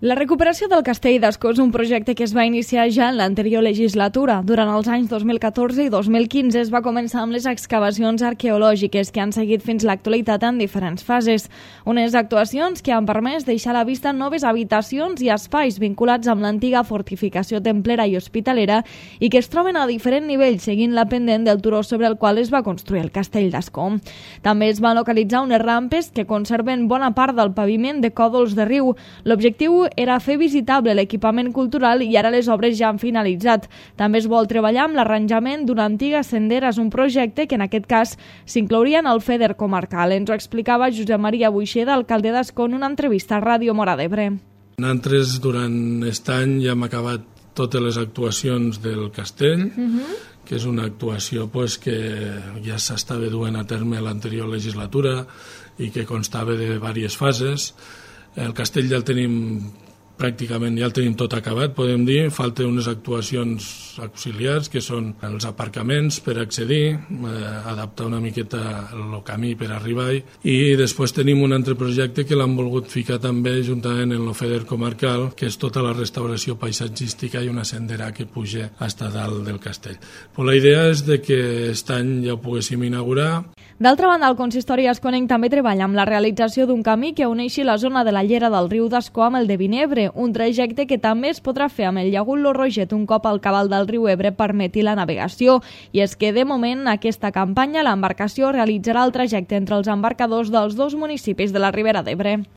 La recuperació del Castell d'Ascó és un projecte que es va iniciar ja en l'anterior legislatura. Durant els anys 2014 i 2015 es va començar amb les excavacions arqueològiques que han seguit fins l'actualitat en diferents fases. Unes actuacions que han permès deixar a la vista noves habitacions i espais vinculats amb l'antiga fortificació templera i hospitalera i que es troben a diferent nivell seguint la pendent del turó sobre el qual es va construir el Castell d'Ascó. També es van localitzar unes rampes que conserven bona part del paviment de còdols de riu. L'objectiu era fer visitable l'equipament cultural i ara les obres ja han finalitzat. També es vol treballar amb l'arranjament d'una antiga sendera. És un projecte que en aquest cas s'inclouria en el FEDER comarcal. Ens ho explicava Josep Maria Buixeda, alcalde d'Ascó, en una entrevista a Ràdio Móra d'Ebre. Nosaltres durant aquest any ja hem acabat totes les actuacions del castell, que és una actuació que ja s'estava duent a terme l'anterior legislatura i que constava de diverses fases. El castell ja el tenim pràcticament tot acabat, podem dir. Falten unes actuacions auxiliars, que són els aparcaments per accedir, adaptar una miqueta el camí per arribar-hi, i després tenim un altre projecte que l'han volgut ficar també juntament en el FEDER comarcal, que és tota la restauració paisatgística i una sendera que puja fins a dalt del castell. Però la idea és de que aquest any ja ho poguéssim inaugurar. D'altra banda, el consistori asconenc també treballa amb la realització d'un camí que uneixi la zona de la llera del riu d'Ascó amb el de Vinebre, un trajecte que també es podrà fer amb el llagut Lo Roget un cop al cabal del riu Ebre permeti la navegació. I és que, de moment, aquesta campanya l'embarcació realitzarà el trajecte entre els embarcadors dels dos municipis de la Ribera d'Ebre.